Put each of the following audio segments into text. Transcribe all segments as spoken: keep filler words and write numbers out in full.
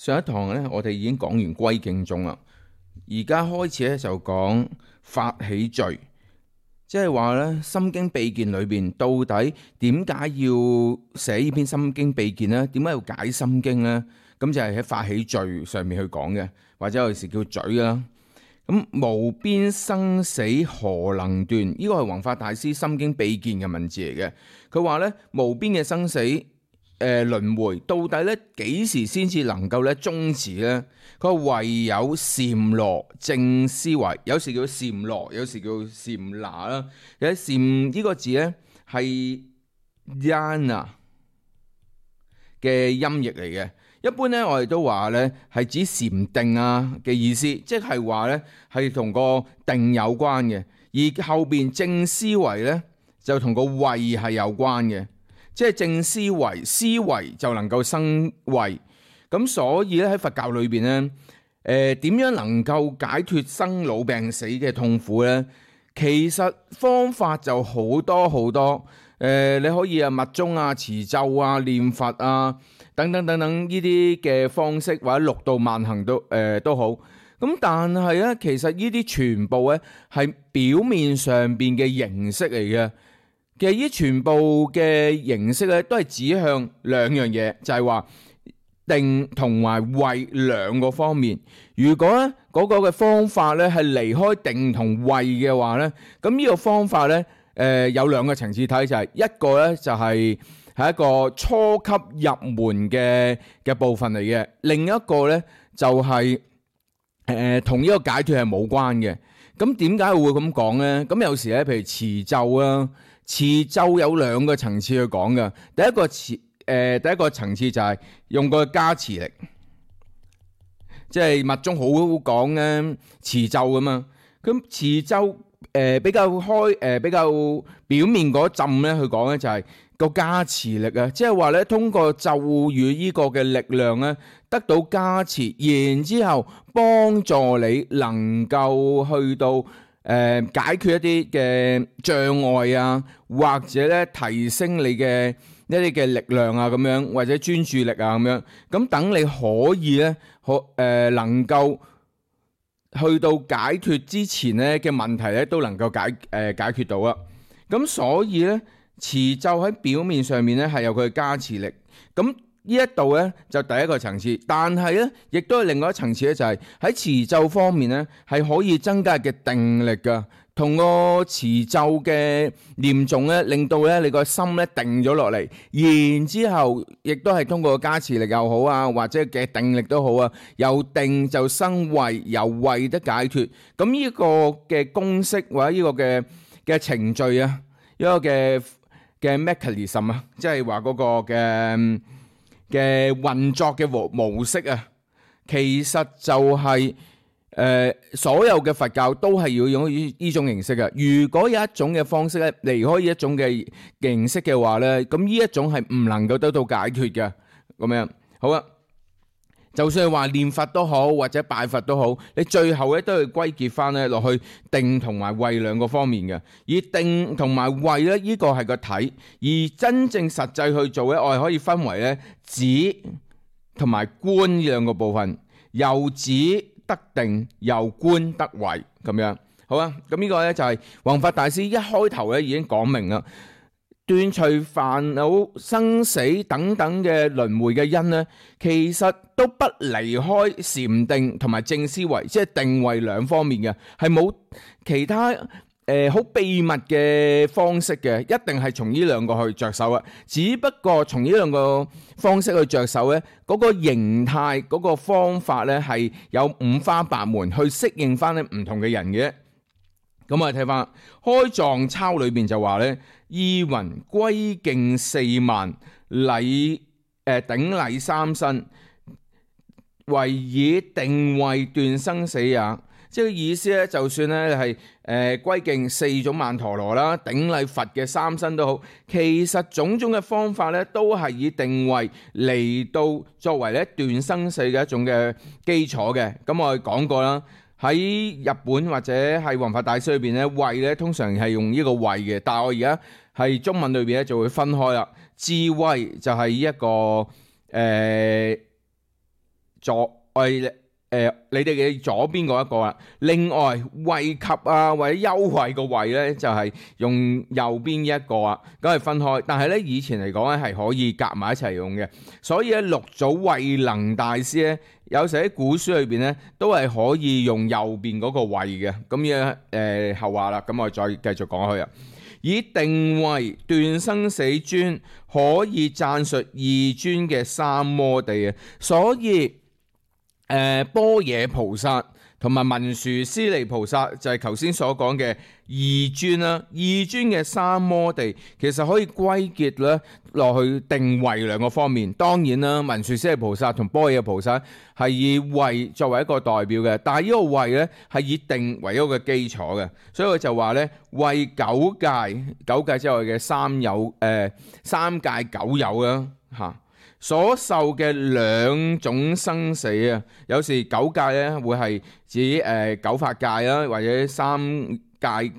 上一堂咧，我哋已經講完歸敬頌啦，而家開始咧就講發起序，即係話咧《心經秘見》裏邊到底點解要寫呢篇《心經秘見》呢？點解要解心經呢？咁就係喺發起序上面去講嘅，或者有時叫序啦。咁無邊生死何能斷？呢個係弘法大師《心經秘見》嘅文字嚟嘅。佢話咧無邊嘅生死。誒輪迴到底咧幾時先至能夠咧終止咧？佢話唯有禪羅正思維，有時叫禪羅，有時叫禪那啦。其實禪呢個字咧係 yana 嘅音譯嚟嘅。一般咧我哋都話咧係指禪定啊嘅意思，即係話咧係同個定有關嘅，而後邊正思維咧就同個慧係有關嘅。即係正思維，思維就能夠生慧。咁所以咧喺佛教裏邊咧，誒、呃、點樣能夠解脫生老病死嘅痛苦咧？其實方法就好多好多。誒、呃、你可以啊密宗啊、持咒啊、念佛啊等等等等呢啲嘅方式，或者六度萬行都誒、呃、都好。咁但係咧，其實呢啲全部咧係表面上邊嘅形式嚟嘅。其實呢全部嘅形式咧，都係指向兩樣嘢，就係話定同埋慧兩個方面。如果咧嗰個嘅方法咧係離開定同慧嘅話咧，咁呢個方法咧，誒有兩個層次睇，就係一個咧就係係一個初級入門嘅嘅部分嚟嘅，另一個咧就係誒同呢個解脫係冇關嘅。咁點解會咁講咧？咁有時咧，譬如持咒啊。持咒有兩個層次去講嘅，第一個持誒、呃、第一個層次就係用個加持力，即係密宗好講咧持咒㗎嘛。咁持咒誒、呃、比較開誒、呃、比較表面嗰陣咧去講咧就係個加持力啊，即係話咧通過咒語呢個嘅力量咧得到加持，然之後幫助你能夠去到。誒、呃、解決一啲嘅障礙啊，或者咧提升你嘅一啲嘅力量啊，咁樣或者專注力啊，咁樣咁等你可以咧可誒能夠去到解決之前咧嘅問題咧都能夠解誒、呃、解決到啦。咁所以咧持咒喺表面上面咧係有佢嘅加持力。咁呢一度咧就第一個層次，但係咧亦都係另外一層次咧，就係喺持咒方面咧係可以增加嘅定力噶，同個持咒嘅念誦咧，令到咧你個心咧定咗落嚟，然之後亦都係通過加持力又好啊，或者嘅定力都好啊，由定就生慧，由慧得解脫。咁呢個嘅公式或者呢個嘅嘅程序啊，呢個嘅嘅 mechanism 啊，即係話嗰個嘅。嘅運作嘅模模式啊，其實就係、是、誒、呃、所有嘅佛教都係要用呢呢種形式嘅。如果有一種嘅方式咧離開呢一種嘅形式嘅話咧，咁呢一種係唔能夠得到解脫嘅。咁樣好啊，就算係話念佛都好，或者拜佛都好，你最後咧都要歸結翻咧落去定同埋慧兩個方面嘅。而定同埋慧咧，呢個係個體，而真正實際去做咧，我哋可以分為咧止同埋觀呢兩個部分，由止得定，由觀得慧咁樣。好啊，咁呢個咧就係弘法大師一開頭咧已經講明啦。斷除煩惱、生死等等嘅輪迴嘅因呢，其實都不離開禪定同埋正思維，即係定慧兩方面嘅，係冇其他誒好、呃、秘密嘅方式嘅，一定係從呢兩個去着手啊。只不過從呢兩個方式去着手呢，嗰、那個形態、嗰、那個方法呢，係有五花八門去適應翻咧唔同嘅人嘅。咁我哋睇翻開藏抄裏邊就話咧，意云歸敬四萬禮誒頂禮三身，為以定慧斷生死也。即係意思咧，就算咧係誒歸敬四種曼陀羅啦，頂禮佛嘅三身都好，其實種種嘅方法咧，都係以定慧嚟到作為咧斷生死嘅一種嘅基礎嘅。咁我哋講過啦。喺日本或者係弘法大師裏邊咧，慧咧通常係用呢個慧嘅，但係我而家係中文裏邊咧就會分開啦。智慧就係呢一個誒左誒誒你哋嘅左邊嗰一個啦。另外惠及啊或者優惠個惠咧就係、是、用右邊一個啊，咁係分開。但係咧以前嚟講咧係可以夾埋一齊用嘅，所以咧六祖慧能大師咧有時喺古書裏邊咧都係可以用右邊嗰個慧嘅。咁樣誒後話啦，咁我再繼續講去啊。以定慧斷生死尊，可以贊述二尊嘅三摩地啊。所以誒、呃、般若菩薩同埋文殊師利菩薩就係頭先所講嘅二尊啦。二尊嘅三摩地其實可以歸結咧落去定慧兩個方面。當然啦，文殊師利菩薩同般若菩薩係以慧作為一個代表嘅，但係呢個慧咧係以定為一個基礎嘅，所以佢就話咧慧九界，九界之外嘅三有誒、呃、三界九有啦嚇。所受嘅兩種生死啊，有時九界咧會係指誒、呃、九法界啦，或者三界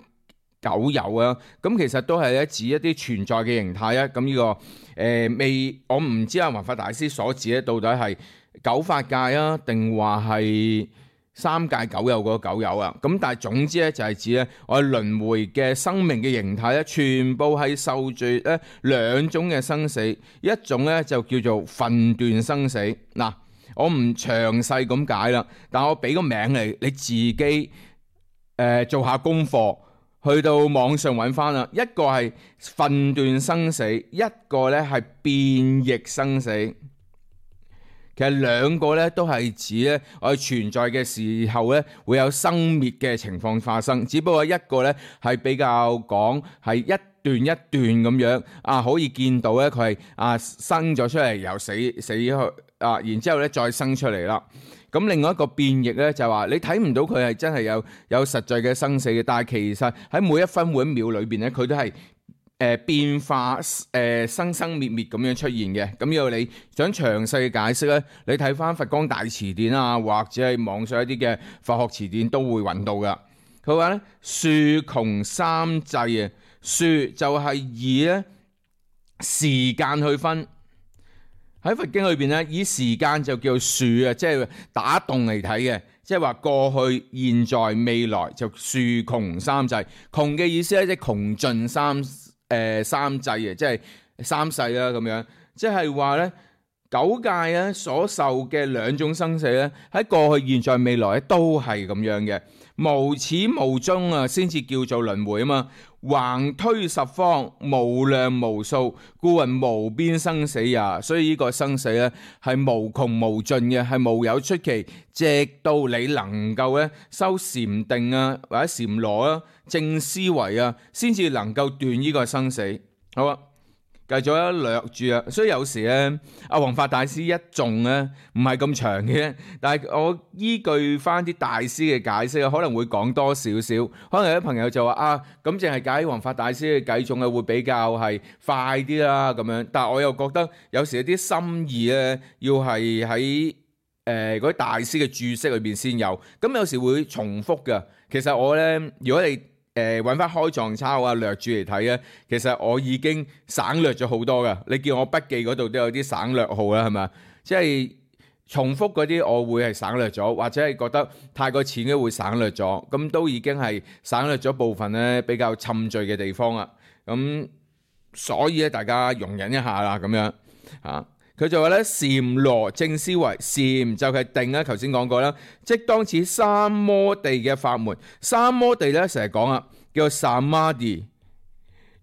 九有啊。咁其實都係咧指一啲存在嘅形態啊。咁呢、這個誒、呃、未，我唔知阿弘法大師所指咧到底係九法界啊，定話係三界九有嗰個九有啊。咁但係總之咧就係指咧我哋輪迴嘅生命嘅形態咧，全部係受住咧兩種嘅生死，一種咧就叫做分段生死。嗱，我唔詳細咁解啦，但我俾個名嚟，你自己誒、呃、做下功課，去到網上揾翻啦。一個係分段生死，一個咧係變異生死。其實兩個咧都係指咧我哋存在嘅時候咧會有生滅嘅情況發生，只不過一個咧係比較講係一段一段咁樣啊，可以見到咧佢係啊生咗出嚟又死死去啊，然之後咧再生出嚟啦。咁另外一個變異咧就係話你睇唔到佢係真係有有實際嘅生死嘅，但係其實喺每一分每一秒裏邊咧佢都係誒變化誒、呃、生生滅滅咁樣出現嘅。咁如果你想詳細嘅解釋咧，你睇翻佛光大辭典啊，或者係網上一啲嘅佛學辭典都會揾到噶。佢話咧數窮三際啊，數就係以咧時間去分，喺佛經裏邊咧以時間就叫數啊，即係打戙嚟睇嘅，即係話過去、現在、未來就數窮三際。窮嘅意思咧即係窮盡三。誒、呃、三際嘅，即係三世啦咁樣，即係話咧九界咧所受嘅兩種生死咧，喺過去、現在、未來咧都係咁樣嘅，無始無終啊，先至叫做輪迴啊嘛。橫推十方，無量無數，故云無邊生死也。所以呢個生死咧係無窮無盡嘅，係無有出期，直到你能夠咧修禪定啊，或者禪羅啊、正思維啊，先至能夠斷呢個生死。好啊。繼續一略住啊，所以有時咧，阿弘法大師一頌咧唔係咁長嘅，但係我依據翻啲大師嘅解釋，可能會講多少少。可能有啲朋友就話啊，咁淨係解弘法大師嘅偈頌啊，會比較係快啲啦咁樣。但係我又覺得有時有啲心意咧，要係喺誒嗰啲大師嘅注釋裏邊先有，咁有時會重複㗎。其實我咧，如果你誒揾翻開藏抄啊，略住嚟睇咧，其實我已經省略咗好多噶。你見我筆記嗰度都有啲省略號啦，係咪？即係重複嗰啲，我會係省略咗，或者係覺得太過淺嘅會省略咗。咁都已經係省略咗部分咧比較侵罪嘅地方啦。咁所以咧，大家容忍一下啦，咁樣啊。佢就話咧，禪羅正思維，禪就係定啦，頭先講過啦，即當此三摩地嘅法門。三摩地咧成日講啊，叫做 Samadhi。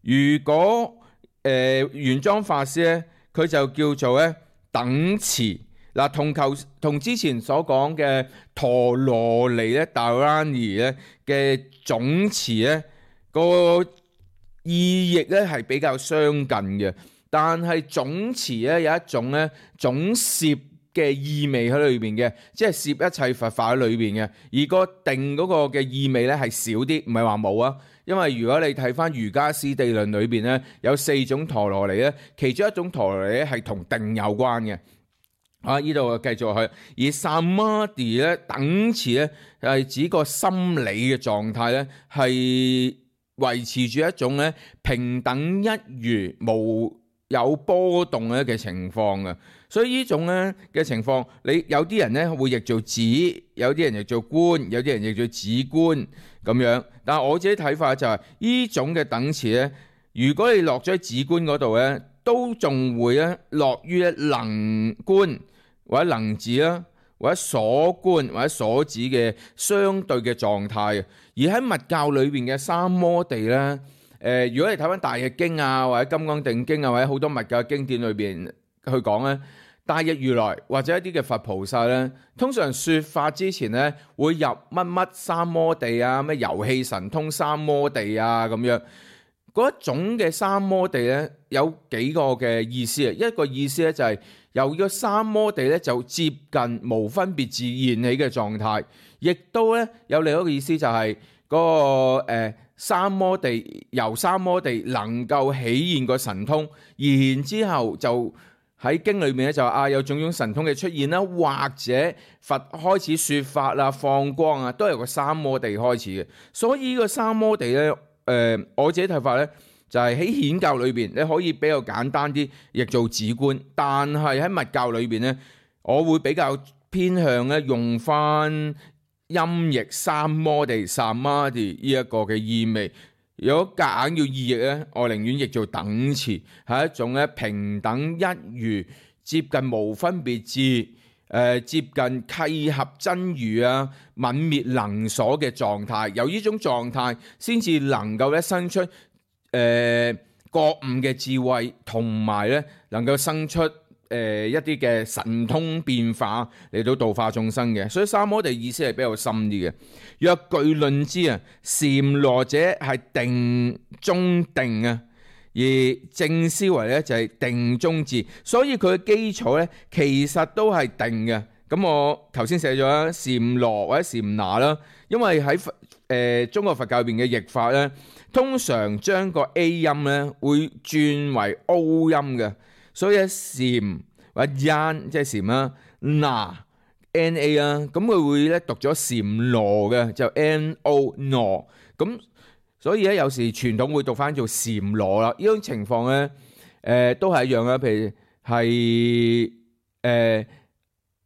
如果誒玄奘法師咧，佢就叫做咧等持。嗱，同求同之前所講嘅陀羅尼咧、Dharani 咧嘅總持咧個意譯咧係比較相近嘅。但係總持咧有一種咧總攝嘅意味喺裏邊嘅，即係攝一切佛法喺裏邊嘅。而個定嗰個嘅意味咧係少啲，唔係話冇啊。因為如果你睇翻瑜伽師地論裏邊咧，有四種陀羅尼咧，其中一種陀羅尼咧係同定有關嘅。啊，呢度繼續去，而 Samadhi 咧等持咧係指個心理嘅狀態咧係維持住一種咧平等一如無有波動嘅情況嘅，所以呢種咧嘅情況，你有啲人咧會譯做子，有啲人譯做官，有啲人譯做子官咁樣。但係我自己睇法就係、是、呢種嘅等詞咧，如果你落咗喺子官嗰度咧，都仲會咧落於能官或者能子啦，或者所官或者所指嘅相對嘅狀態。而喺密教裏邊嘅三摩地咧，誒、呃，如果你睇翻大譯經啊，或者金剛定經啊，或者好多密教經典裏邊去講咧，大日如來或者一啲嘅佛菩薩咧，通常説法之前咧會入乜乜三摩地啊，咩遊戲神通三摩地啊咁樣。嗰一種嘅三摩地咧有幾個嘅意思啊，一個意思咧就係由咗三摩地咧就接近無分別自現起嘅狀態，亦都咧有另一個意思就係嗰、那個、呃、三摩地由三摩地能夠起現個神通，然之後就喺經裏面咧就啊有種種神通嘅出現啦，或者佛開始説法啦、放光啊，都係由個三摩地開始嘅。所以呢個三摩地咧。誒、呃、我自己睇法咧，就係喺顯教裏邊，你可以比較簡單啲，譯做子官。但係喺密教裏邊咧，我會比較偏向咧用翻音譯三摩地、三摩地呢一個嘅意味。如果夾硬要意譯咧，我寧願譯做等詞，係一種咧平等一如、接近無分別智。誒、呃、接近契合真如啊、泯滅能所嘅狀態，由呢種狀態先至能夠咧生出誒、呃、覺悟嘅智慧，同埋咧能夠生出誒、呃、一啲嘅神通變化嚟到度化眾生嘅。所以三摩地意思係比較深啲嘅。若據論之啊，禪羅者係定中定啊。而正思維咧就係定中智，所以佢嘅基礎咧其實都係定嘅。咁我頭先寫咗啦，禪羅或者禪那啦，因為喺誒、呃、中國佛教入邊嘅譯法咧，通常將個 A 音咧會轉為 O 音嘅，所以禪或者 yan 即係禪啦，那 N A 啦，咁佢會咧讀咗禪羅嘅，就 N O 羅咁。所以咧，有時傳統會讀翻做禪羅啦。呢種情況咧，誒、呃、都係一樣啦。譬如係誒、呃、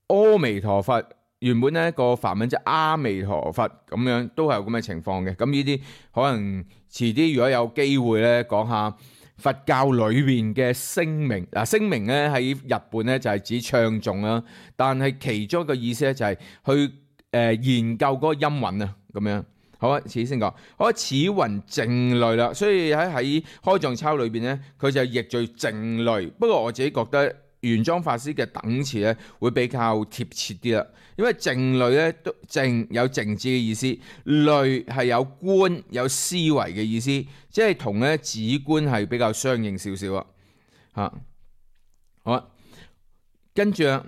阿彌陀佛，原本咧個梵文即係阿彌陀佛咁樣，都係有咁嘅情況嘅。咁呢啲可能遲啲如果有機會咧，講下佛教裏邊嘅聲明。嗱，聲明咧喺日本咧就係指唱誦啦，但係其中一個意思咧就係去誒、呃、研究嗰個音韻啊，咁樣。好啊，遲啲先講。好啊，此云靜慮啦，所以喺喺開藏抄裏邊咧，佢就譯做靜慮。不過我自己覺得玄奘法師嘅等詞咧會比較貼切啲啦，因為靜慮咧都靜有靜止嘅意思，慮係有觀有思維嘅意思，即係同咧止觀係比較相應少少啊。嚇，好啊，跟住啊。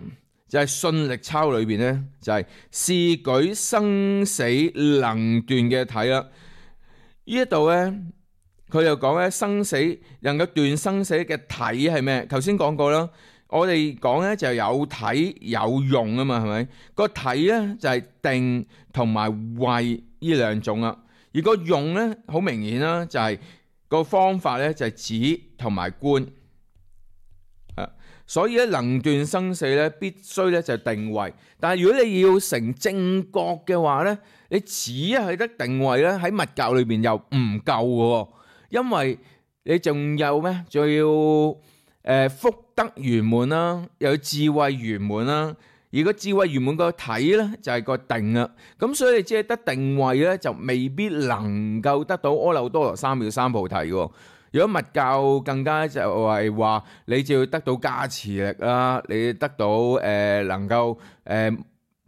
就係信力抄裏邊咧，就係、是、試舉生死能斷嘅體啦。呢一度咧，佢又講咧生死能夠斷生死嘅體係咩？頭先講過啦，我哋講咧就有體有用啊嘛，係咪？個體咧就係定同埋慧呢兩種啦，而個用咧好明顯啦，就係個方法咧就係止同埋觀。所以咧能斷生死咧，必須咧就定慧。但係如果你要成正覺嘅話咧，你只係得定慧咧，喺密教裏邊又唔夠嘅，因為你仲有咩？仲要誒、呃、福德圓滿啦，又有智慧圓滿啦。而個智慧圓滿個體咧就係、是、個定啦。咁所以你只係得定慧咧，就未必能夠得到阿耨多羅三藐三菩提嘅。如果密教更加就係話，你就要得到加持力啦，你得到誒、呃、能夠誒、呃、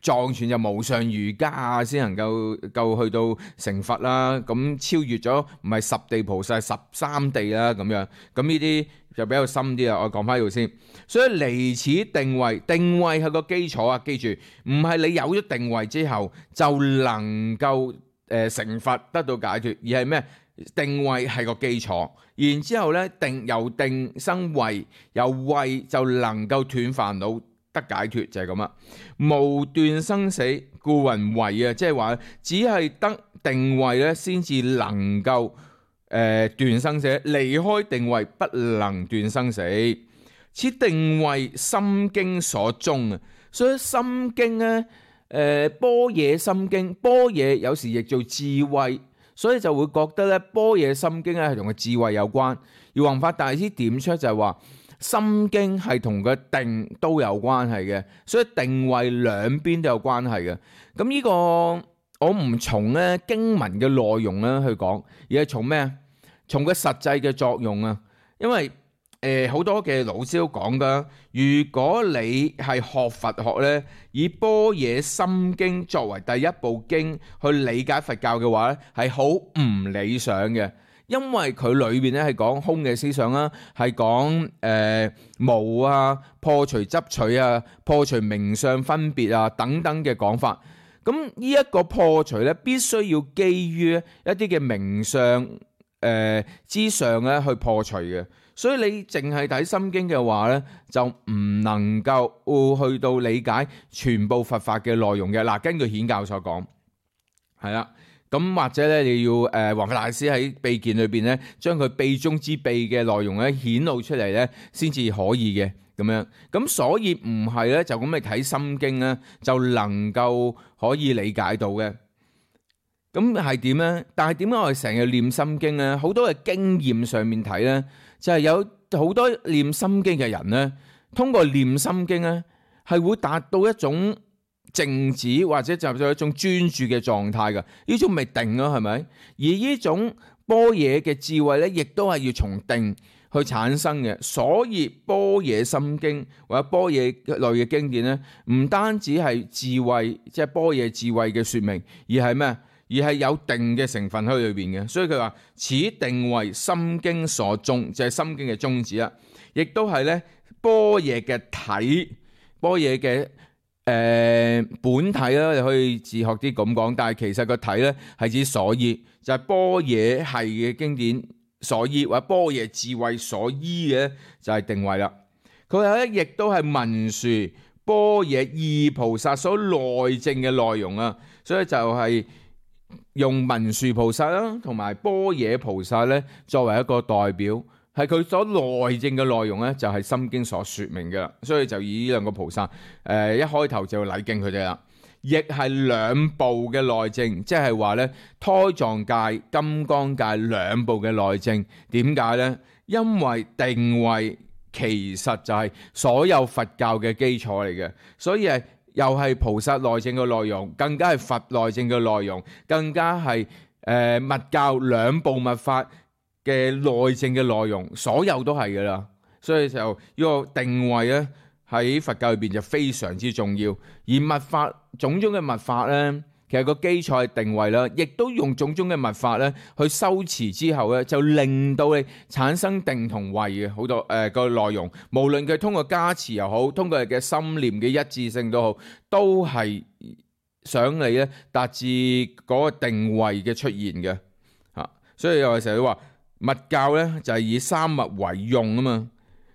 藏傳就無上瑜伽啊，先能夠夠去到成佛啦。咁超越咗唔係十地菩薩，十三地啦咁樣。咁呢啲就比較深啲啦。我講翻呢度先。所以離此定慧，定慧係個基礎啊！記住，唔係你有咗定慧之後就能夠誒、呃、成佛得到解脫，而係咩？定慧係個基礎，然之後咧定由定生慧，由慧就能夠斷煩惱得解脫，就係咁啦。無斷生死，故云慧啊，即係話只係得定慧咧，先至能夠誒斷生死，離開定慧不能斷生死。此定為心經所宗啊。所以心經咧，誒般若心經，般若有時譯做智慧，所以就會覺得咧般若心經咧係同個智慧有關。而弘法大師點出就係話，心經係同個定都有關係嘅，所以定位兩邊都有關係嘅。咁呢個我唔從咧經文嘅內容咧去講，而係從咩啊？從個實際嘅作用啊。因為誒好多嘅老師都講噶，如果你係學佛學咧，以般若心經作為第一部經去理解佛教嘅話咧，係好唔理想嘅。因為佢裏邊咧係講空嘅思想啦，係講誒無啊、破除執取啊、破除名相分別啊等等嘅講法。咁呢一個破除咧，必須要基於一啲嘅名相誒之上咧去破除嘅。所以你淨係睇心經嘅話咧，就唔能夠去到理解全部佛法嘅內容嘅。嗱，根據顯教所講，係啦。咁或者咧，你要誒弘法大師喺秘見裏邊咧，將佢秘中之秘嘅內容咧顯露出嚟咧，先至可以嘅咁樣。咁所以唔係咧，就咁嚟睇心經咧，就能夠可以理解到嘅。咁係點咧？但係點解我哋成日念心經咧？好多嘅經驗上面睇咧，就係有好多念心經嘅人咧，通過念心經咧，係會達到一種靜止或者就係一種專注嘅狀態㗎。呢種咪定咯，係咪？而呢種般若嘅智慧咧，亦都係要從定去產生嘅。所以般若心經或者般若類嘅經典咧，唔單止係智慧，即係般若智慧嘅說明，而係咩？而係有定嘅成分喺裏邊嘅。所以佢話此定為心經所宗，就係心經嘅宗旨啦。亦都係咧般若嘅體，般若嘅誒本體啦，你可以自學啲咁講。但係其實個體咧係指所依，就係般若係嘅經典所依，或者般若智慧所依嘅就係定位啦。佢話咧亦都係文殊般若二菩薩所內證嘅內容啊。所以就係用文殊菩薩啦，同埋般若菩薩咧作為一個代表，係佢所內證嘅內容咧，就係心經所說明嘅。所以就以呢兩個菩薩，誒、呃、一開頭就禮敬佢哋啦。亦係兩部嘅內證，即係話咧胎藏界、金剛界兩部嘅內證。點解咧？因為定位其實就係所有佛教嘅基礎嚟嘅，所以係。又係菩薩內證嘅內容，更加係佛內證嘅內容，更加係誒密教兩部密法嘅內證嘅內容，所有都係噶啦。所以就呢個定位咧喺佛教裏邊就非常之重要。而密法種種嘅密法咧，其實個基礎係定位啦，亦都用種種嘅密法咧去修持之後咧，就令到你產生定同慧嘅好多誒個內容。無論佢通過加持又好，通過佢嘅心念嘅一致性都好，都係想你咧達至嗰個定位嘅出現嘅嚇。所以我哋成日都話密教咧就係以三密為用啊嘛，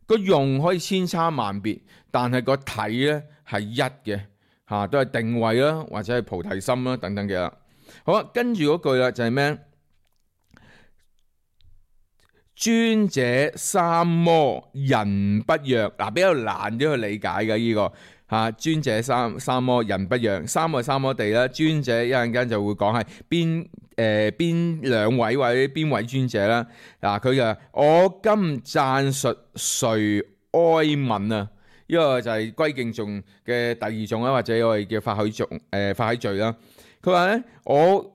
個用可以千差萬別，但係個體咧係一嘅。嚇，都係定位啦，或者係菩提心啦，等等嘅啦。好啦，跟住嗰句啦，就係咩？尊者三摩人不若，嗱比較難啲去理解嘅呢個嚇。尊者三三摩人不若，三個三摩地啦。尊者一陣間就會講係邊誒邊兩位或者邊位尊者啦。嗱，佢就我今讚述誰哀憫啊？呢個就係歸敬頌嘅第二頌啦，或者我哋叫法喜頌誒法喜序啦。佢話咧，我誒呢、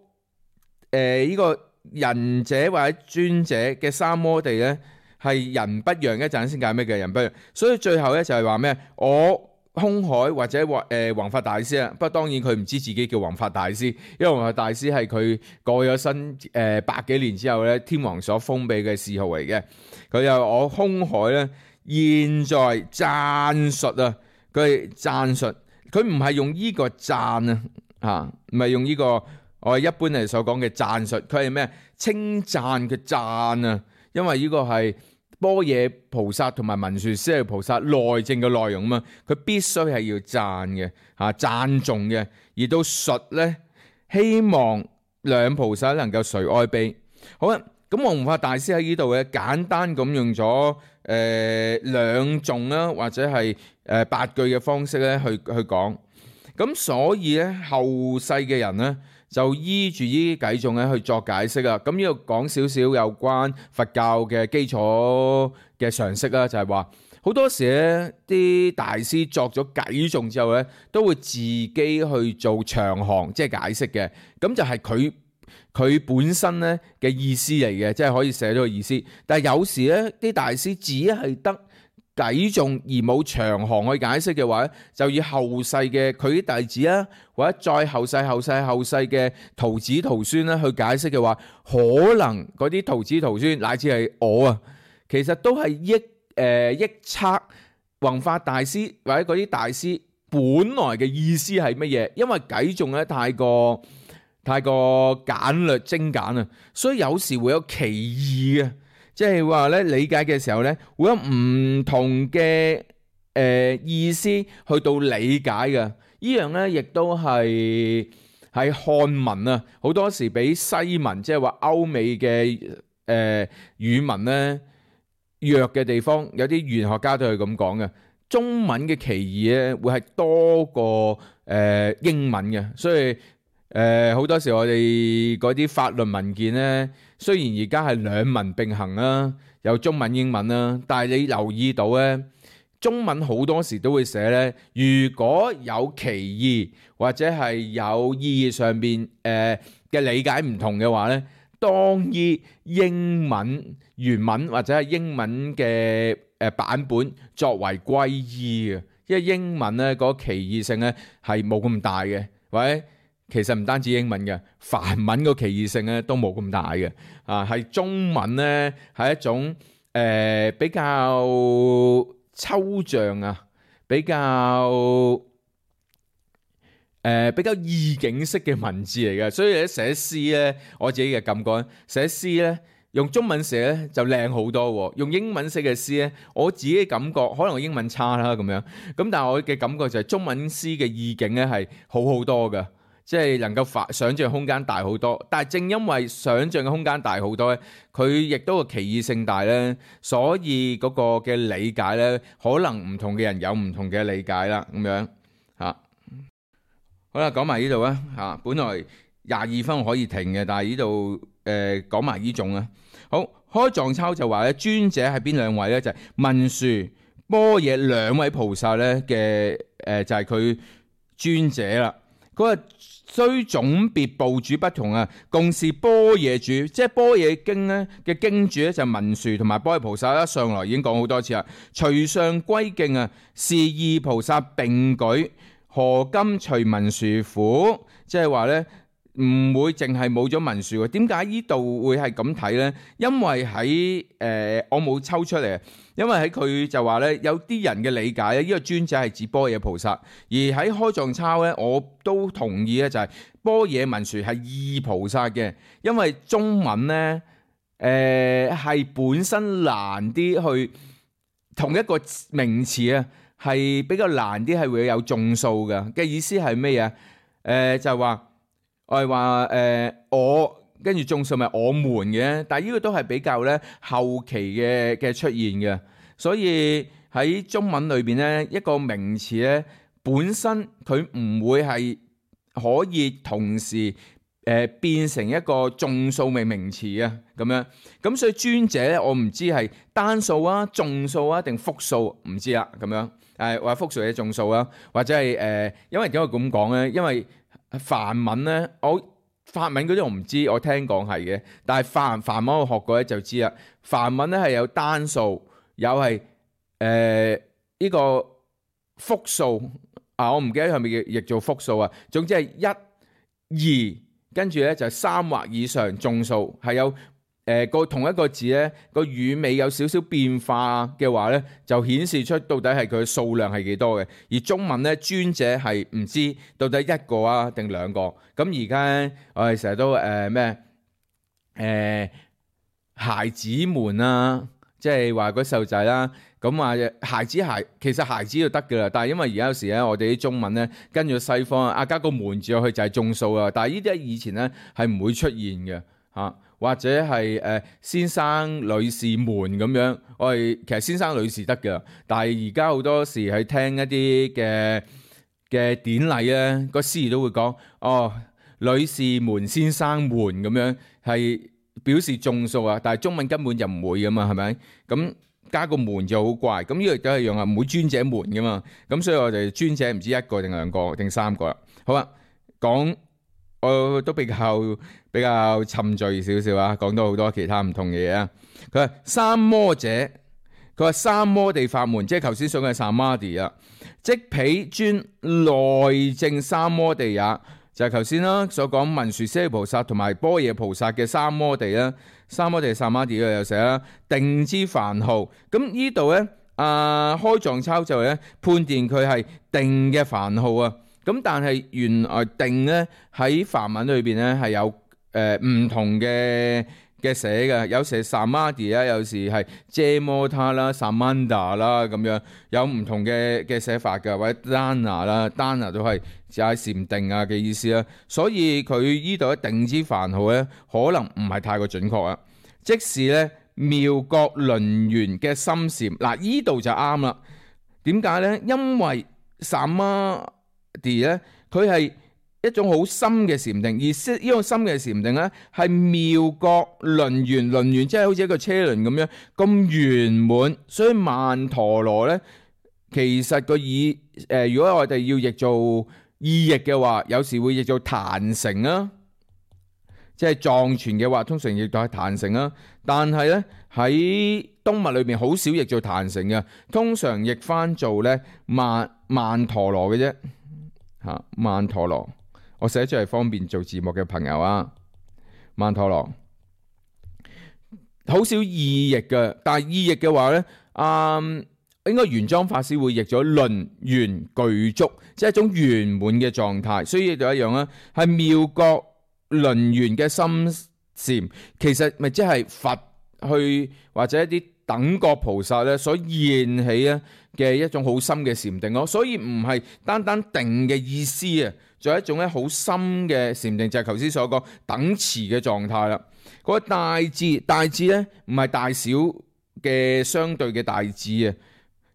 呃這個仁者或者尊者嘅三摩地咧係人不讓，一陣先解咩叫人不讓。所以最後咧就係話咩？我空海或者或誒弘法大師啊，不過當然佢唔知自己叫弘法大師，因為弘法大師係佢過咗身誒、呃、百幾年之後咧，天皇所封俾嘅諡號嚟嘅。佢又我空海咧。現在讚述啊，佢係讚述，佢唔係用呢個讚啊，嚇，唔係用呢個我哋一般嚟所講嘅讚述，佢係咩？稱讚嘅讚啊，因為呢個係般若菩薩同埋文殊師利菩薩內證嘅內容啊嘛，佢必須係要讚嘅嚇，讚頌嘅，而到述咧，希望兩菩薩能夠垂哀悲。好啦，咁弘法大師喺呢度嘅簡單咁用咗。誒兩頌啦，或者係誒八句嘅方式咧去去講。咁所以咧後世嘅人咧就依住呢啲偈頌咧去作解釋啊。咁呢度講少少有關佛教嘅基礎嘅常識啦，就係話好多時咧啲大師作咗偈頌之後咧，都會自己去做長行，即係解釋嘅。咁就係佢佢本身咧嘅意思嚟嘅，即係可以寫到個意思。但係有時咧啲大師只係得偈頌而冇長行去解釋嘅話咧，就以後世嘅佢啲弟子啊，或者再後世後世後世嘅徒子徒孫咧去解釋嘅話，可能嗰啲徒子徒孫乃至係我啊，其實都係憶誒憶測弘法大師或者嗰啲大師本來嘅意思係乜嘢，因為偈頌咧太過太過簡略精簡啊，所以有時會有歧義嘅。即係話咧，理解嘅時候咧，會有唔同嘅誒、呃、意思去到理解嘅。呢樣咧，亦都係係漢文啊，好多時比西文，即係話歐美嘅誒、呃、語文咧弱嘅地方，有啲語言學家都係咁講嘅。中文嘅歧義咧，會係多過誒、呃、英文嘅，所以誒好、呃、多時我哋嗰啲法律文件咧。雖然而家係兩文並行啦，有中文英文啦，但係你留意到咧，中文好多時都會寫咧，如果有歧義或者係有意義上邊誒嘅理解唔同嘅話咧，當以英文原文或者係英文嘅誒版本作為歸依嘅，因為英文咧嗰個歧義性咧係冇咁大嘅，或者其實唔單止英文嘅，梵文個歧義性咧都冇咁大嘅，啊係中文咧係一種誒、呃、比較抽象啊，比較誒、呃、比較意境式嘅文字嚟嘅，所以咧寫詩咧，我自己嘅感覺，寫詩咧用中文寫咧就靚好多喎，用英文寫嘅詩咧，我自己嘅感覺可能我英文差啦咁樣，咁但係我嘅感覺就係中文詩嘅意境咧係好好多嘅。即係能夠發想像空間大好多，但係正因為想像嘅空間大好多咧，佢亦都個歧義性大咧，所以嗰個嘅理解咧，可能唔同嘅人有唔同嘅理解啦，咁樣嚇。好啦，講埋呢度啊嚇，本來廿二分可以停嘅，但係呢度誒講埋呢種啊。好，開藏抄就話咧，尊者係邊兩位咧？就係、是、文殊、般若兩位菩薩咧嘅誒，就係、是、佢尊者啦。佢話雖總別部主不同啊，共是般若主，即係般若經咧嘅經主咧就係文殊同埋般若菩薩啦。上來已經講好多次啦。隨上歸敬啊，是二菩薩並舉，何今除文殊苦？即係話咧唔會淨係冇咗文殊喎。點解呢度會係咁睇咧？因為喺誒、呃、我冇抽出嚟。因為喺佢就話咧，有啲人嘅理解咧，呢個尊者係指般若菩薩，而喺開藏抄咧，我都同意咧，就係般若文殊係二菩薩嘅，因為中文咧，誒係本身難啲去同一個名詞啊，係比較難啲，係會有眾數嘅嘅意思係咩嘢？誒就係話我係話誒我。跟住眾數咪我們嘅，但係呢個都係比較咧後期嘅嘅出現嘅，所以喺中文裏邊咧一個名詞咧本身佢唔會係可以同時誒、呃、變成一個眾數名名詞啊咁樣，咁所以尊者咧我唔知係單數啊、眾數啊定複數唔知啦咁樣，誒或者複數嘅眾數啊，或者係誒、呃、因為點解咁講咧？因為梵文咧我。法文嗰啲我唔知，我聽講係嘅，但係梵梵文我學過咧就知啦。梵文咧係有單數，有係誒呢個複數啊，我唔記得係咪譯譯做複數啊。總之係一、二，跟住咧就係三或以上眾數，係有誒個、呃、同一個字咧個語尾有少少變化嘅話咧，就顯示出到底係佢嘅數量係幾多嘅。而中文咧尊者係唔知到底一個啊定兩個。咁而家我哋成日都誒咩誒孩子們啊，即係話嗰細路仔啦。咁話孩子孩其實孩子就得㗎啦，但係因為而家有時咧，我哋啲中文咧跟住西方啊加個門字落去就係眾數啊。但係呢啲喺以前咧係唔會出現嘅嚇。或者係誒、呃、先生女士們咁樣。我哋其實先生女士得㗎，但係而家好多時喺聽一啲嘅嘅典禮咧，個司儀都會講哦，女士們、先生們咁樣，係表示眾數啊。但係中文根本就唔會噶嘛，係咪？咁加個門就好怪。咁呢個亦都係用啊，唔會尊者們噶嘛。咁所以我哋尊者唔知一個定兩個定三個啦。好啊，講我都比較比較沉醉少少啊，講到好多其他唔同嘅嘢啊。佢話三摩者，佢話三摩地法門，即係頭先所講嘅三摩地啊。即彼尊內證三摩地也，就係頭先啦所講文殊師利菩薩同埋般若菩薩嘅三摩地啦。三摩地三摩地又寫啦，定之梵號。咁呢度咧，啊開藏抄就咧判斷佢係定嘅梵號啊。咁但係原來定咧喺梵文裏邊咧係有誒唔、呃、同嘅嘅寫嘅，有時係 samadhi 啦，有時係 jamota 啦、samanda 啦咁樣，有唔同嘅嘅寫法嘅，或者 dana 啦、dana 都係就係禪定啊嘅意思啦。所以佢呢度一定之梵號咧，可能唔係太過準確啊。即是咧妙覺輪緣嘅心禪，嗱呢度就啱啦。點解咧？因為 samadhi 咧，佢係一種好深嘅禪定，而呢種深嘅禪定咧，係妙覺輪緣，輪緣即係好似一個車輪咁樣咁圓滿。所以曼陀羅咧，其實個意誒、呃，如果我哋要譯做意譯嘅話，有時會譯做壇城啊，即係藏傳嘅話，通常譯到係壇城啊。但係咧喺東密裏邊好少譯做壇城嘅，通常譯翻做咧曼曼陀羅嘅啫嚇，曼陀羅。我寫出嚟方便做字幕嘅朋友啊，曼陀羅好少意譯嘅，但係意譯嘅話咧，嗯，應該玄奘法師會譯咗輪圓具足，即係一種圓滿嘅狀態。所以就一樣啦，係妙覺輪圓嘅心禪，其實咪即係佛去或者一啲等覺菩薩咧所現起啊嘅一種好深嘅禪定咯。所以唔係單單定嘅意思啊。仲有一種咧好深嘅禪定，就係頭先所講等持嘅狀態啦。嗰個大智，大智咧唔係大小嘅相對嘅大智啊，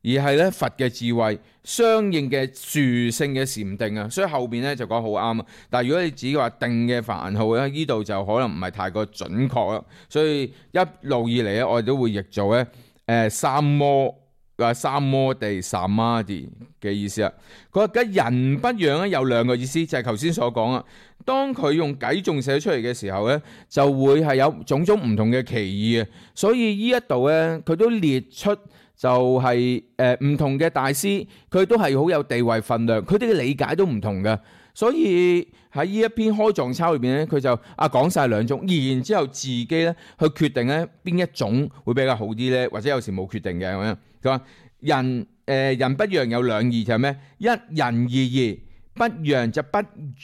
而係咧佛嘅智慧相應嘅殊勝嘅禪定啊。所以後邊咧就講好啱啊。但係如果你自己話定嘅梵號咧，呢度就可能唔係太過準確啦。所以一路以嚟咧，我哋都會譯做咧誒三摩。話三摩地 samadhi 嘅意思啊，佢話嘅人不讓咧有兩個意思，就係頭先所講啊。當佢用偈頌寫出嚟嘅時候咧，就會係有種種唔同嘅歧義啊。所以呢一度咧，佢都列出就係誒唔同嘅大師，佢都係好有地位份量，佢哋嘅理解都唔同嘅。所以喺呢一篇開藏抄裏邊咧，佢就啊講晒兩種，然之後自己咧去決定咧邊一種會比較好啲咧，或者有時冇決定嘅咁樣。佢話人誒、呃、人不讓有兩義，就係咩？一人二義，不讓就不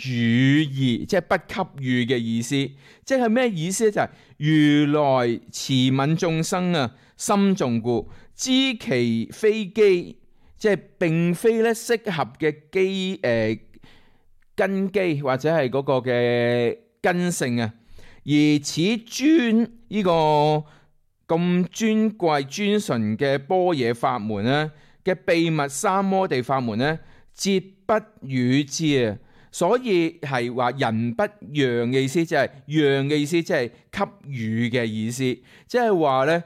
予義，即係不給予嘅意思。即係咩意思咧？就係、是、如來慈憫眾生啊，心重故，知其非機，即係並非咧適合嘅機誒。呃根基或者係嗰個嘅根性啊，而此尊呢個咁尊貴尊純嘅般若法門咧嘅秘密三摩地法門咧，節不與之啊，所以係話人不讓嘅意思，即係讓嘅意思，即係給予嘅意思，即係話咧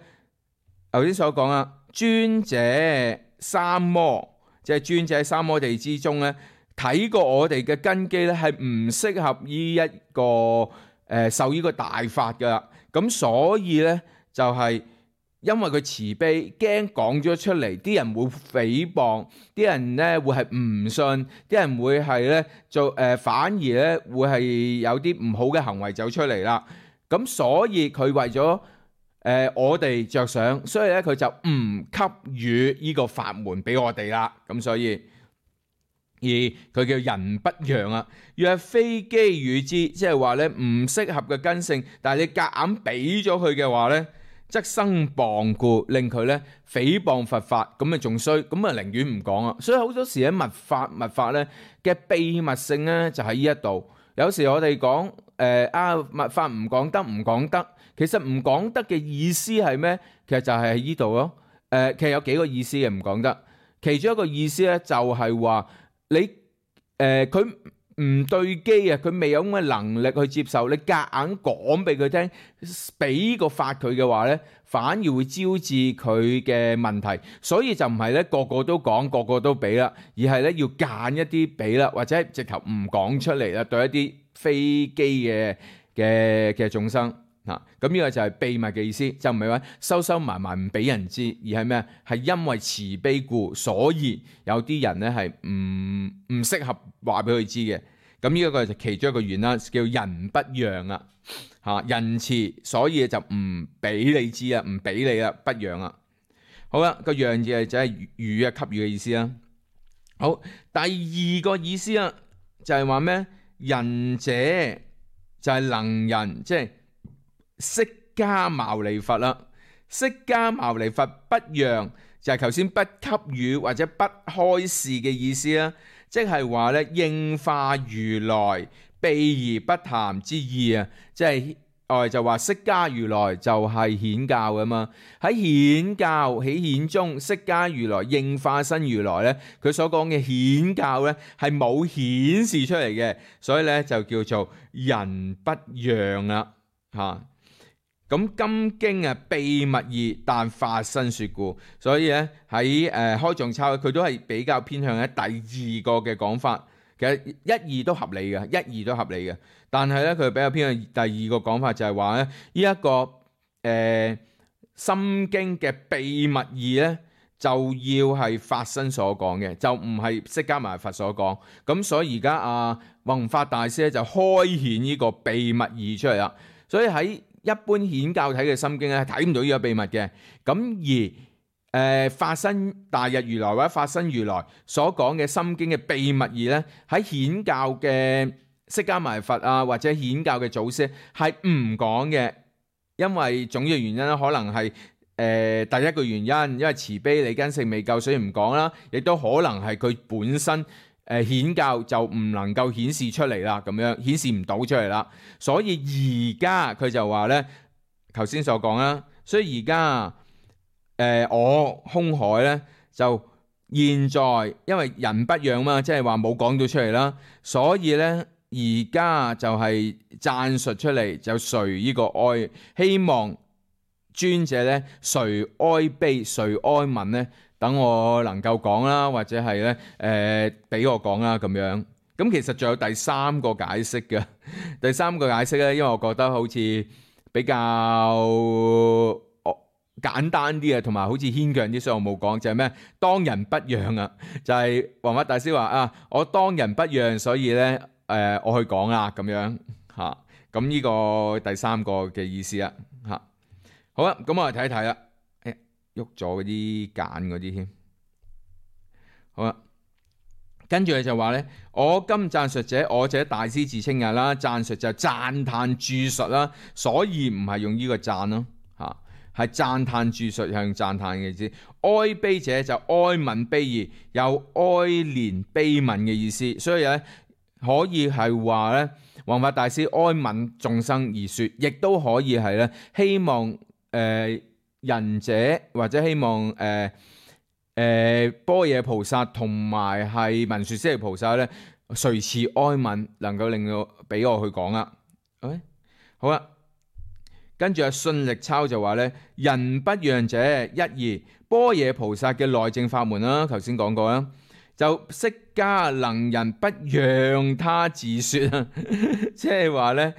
頭先所講啊，尊者三摩，即係尊者三摩地之中咧。睇過我哋嘅根基咧，係唔適合呢一個誒、呃、受呢個大法噶，咁所以咧就係、是、因為佢慈悲，驚講咗出嚟，啲人會誹謗，啲人咧會係唔信，啲人會係咧做誒、呃，反而咧會係有啲唔好嘅行為走出嚟啦。咁所以佢為咗誒、呃、我哋着想，所以咧佢就唔給予呢個法門俾我哋啦。咁所以。而佢叫人不讓啊，若非機與之，即係話咧唔適合嘅根性，但係你夾硬俾咗佢嘅話咧，則生謗故，令佢咧誹謗佛法，咁咪仲衰，咁啊寧願唔講啊。所以好多時喺密法密法咧嘅秘密性咧就喺呢一度。有時我哋講誒啊密法唔講得唔講得，其實唔講得嘅意思係咩？其實就係喺呢度咯。誒、呃，其實有幾個意思嘅唔講得，其中一個意思咧就係話你誒佢。呃唔對機啊！佢未有咁嘅能力去接受，你夾硬講俾佢聽，俾個法佢嘅話呢，反而會招致佢嘅問題。所以就唔係咧個個都講，個個都俾啦，而係咧要揀一啲俾啦，或者係直頭唔講出嚟啦，對一啲非機嘅嘅嘅眾生。嗱，咁呢個就係秘密嘅意思，就唔係話收收埋埋唔俾人知，而係咩？係因為慈悲故，所以有啲人咧係唔唔適合話俾佢知嘅。咁呢一個就其中一個原因，叫仁不讓啊，嚇仁慈，所以就唔俾你知啊，唔俾你啦，不讓啊。好啦，個讓字係就係予啊，給予嘅意思啦。好，第二個意思啊，就係話咩？仁者就係能人，即係。釋迦牟尼佛啦，釋迦牟尼佛不讓就係頭先不給予或者不開示嘅意思啦，即係話咧應化如來避而不談之意啊，即係我哋就話釋迦如來就係顯教噶嘛，喺顯教喺顯中，釋迦如來應化身如來咧，佢所講嘅顯教咧係冇顯示出嚟嘅，所以咧就叫做仁不讓啦，吓。咁金經啊秘密義，但法身說故，所以咧喺誒開藏抄佢都係比較偏向喺第二個嘅講法。其實一二都合理嘅，一二都合理嘅。但係咧佢比較偏向第二個講法，就係話咧呢一個誒、呃、心經嘅秘密義咧，就要係法身所講嘅，就唔係釋迦牟尼佛所講。咁所以而家阿弘法大師咧就開顯呢個秘密義出嚟啦。所以喺一般顯教睇嘅心經咧，睇唔到呢個秘密嘅。咁而誒、呃、法身大日如來或者法身如來所講嘅心經嘅秘密義咧，喺顯教嘅釋迦牟尼佛啊，或者顯教嘅祖師係唔講嘅，因為總嘅原因咧，可能係誒、呃、第一個原因，因為慈悲理根性未夠，所以唔講啦。亦都可能係佢本身。誒顯教就唔能夠顯示出嚟啦，咁樣顯示唔到出嚟啦，所以而家佢就話咧，頭先所講啦，所以而家誒我空海咧就現在因為仁不讓嘛，即係話冇講到出嚟啦，所以咧而家就係讚述出嚟，就垂呢個哀，希望尊者咧垂哀悲垂哀憫咧。等我能夠講啦，或者係咧誒俾我講啦咁樣。咁其實仲有第三個解釋嘅，第三個解釋咧，因為我覺得好似比較簡單啲啊，同埋好似牽強啲，所以我冇講。就係咩？當仁不讓啊！就係弘法大師話啊，我當仁不讓，所以咧誒、呃、我去講啦咁樣嚇。咁呢個第三個嘅意思啊嚇。好啦，咁我嚟睇一睇啦。喐咗嗰啲揀嗰啲添，好啦，跟住佢就話咧，我今讚述者，我者大師自稱嘅啦，讚述就讚歎注述啦，所以唔係用呢個讚咯，吓係讚歎注述，係用讚歎嘅意思。哀悲者就哀憫悲意，有哀憐悲憫嘅意思，所以咧可以係話咧，弘法大師哀憫眾生而說，亦都可以係咧希望誒。呃仁者或者希望誒誒、呃呃、般若菩薩同埋係文殊師利菩薩咧，垂慈哀憫，能夠令到俾我去講啦。誒好啦，跟住阿信力抄就話咧，仁不讓者一二般若菩薩嘅內證法門啦，頭先講過啦，就釋迦能仁不讓他自説啊，即係話咧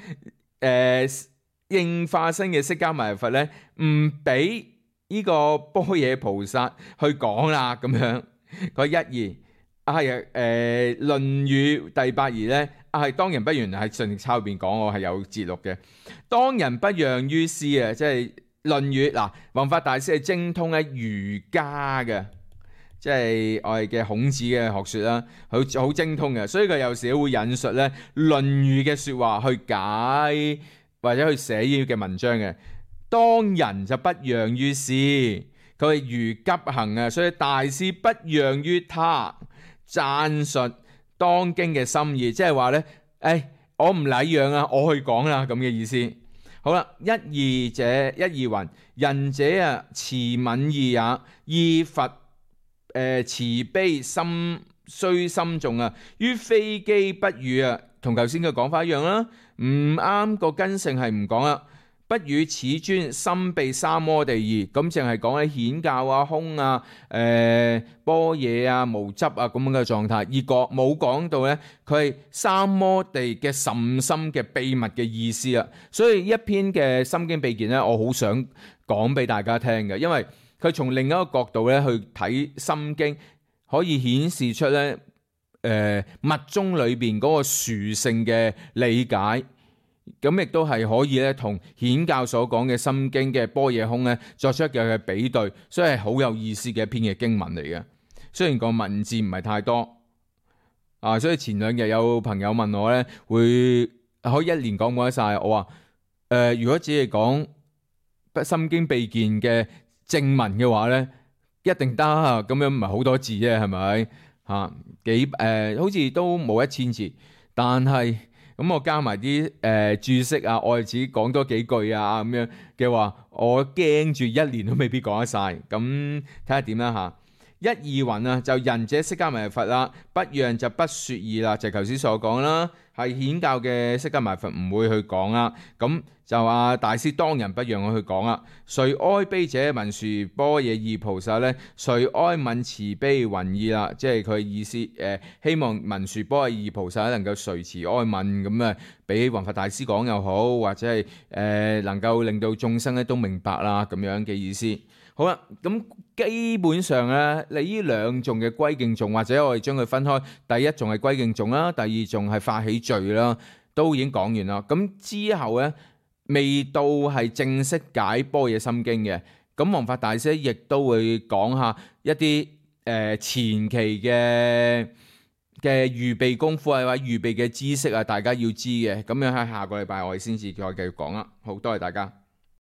誒。應化身嘅釋迦牟尼佛咧，唔俾呢個般若菩薩去講啦，咁樣嗰一二啊係誒《論語》第八義咧，啊係當仁不讓喺信力抄入邊講，我係有節錄嘅。當仁不讓於師啊，即係《論語》嗱，弘法大師係精通喺儒家嘅，即係我哋嘅孔子嘅學說啦，好好精通嘅，所以佢有時會引述咧《論語》嘅說話去解。或者去寫呢嘅文章嘅，當仁就不讓於師，佢係如急行啊，所以大師不讓於他，讚述當經嘅心意，即係話咧，誒我唔禮讓啊，我去講啦，咁嘅意思。好啦，一義者一義云，仁者啊慈憫義也，義佛誒、呃、慈悲心雖深重啊，於非機不語啊，同頭先嘅講法一樣啦，唔啱個根性係唔講啦。不與此尊心被三摩地義，咁淨係講喺顯教啊、空啊、誒、呃、般若啊、無執啊咁樣嘅狀態，而講冇講到咧，佢係三摩地嘅甚深嘅秘密嘅意思啊。所以一篇嘅心經秘見咧，我好想講俾大家聽嘅，因為佢從另一個角度咧去睇心經，可以顯示出咧誒密宗裏邊嗰個殊勝嘅理解。咁亦都係可以咧，同顯教所講嘅心經嘅般若空咧作出嘅比對，所以係好有意思嘅一篇嘅經文嚟嘅。雖然個文字唔係太多啊，所以前兩日有朋友問我咧，會可以一年講冇得晒。我話誒、呃，如果只係講心經秘見嘅正文嘅話咧，一定得啊。咁樣唔係好多字啫，係咪吓幾誒、呃？好似都冇一千字，但係。咁我加埋啲誒注釋啊，我哋自己講多幾句啊咁樣嘅話，我驚住一年都未必講得晒。咁睇下點啦嚇。一義云啊，就仁者釋迦牟尼佛啦，不讓就不説義啦，就頭先所講啦，係顯教嘅釋迦牟尼佛唔會去講啦。咁就啊大師當仁不讓我去講啦。誰哀悲者文殊般若義菩薩咧？誰哀憫慈悲云義啦？即係佢意思誒、呃，希望文殊般若義菩薩能夠垂慈哀憫咁啊，俾弘法大師講又好，或者係誒、呃、能夠令到眾生咧都明白啦咁樣嘅意思。好啦，咁基本上咧，你呢兩頌嘅歸敬頌，或者我哋將佢分開，第一頌係歸敬頌啦，第二頌係發起序啦，都已經講完啦。咁之後咧，未到係正式解般若心經嘅，咁弘法大師亦都會講下一啲誒、呃、前期嘅嘅預備功夫啊，或者預備嘅知識啊，大家要知嘅。咁樣喺下個禮拜我哋先至再繼續講啦。好，多謝大家。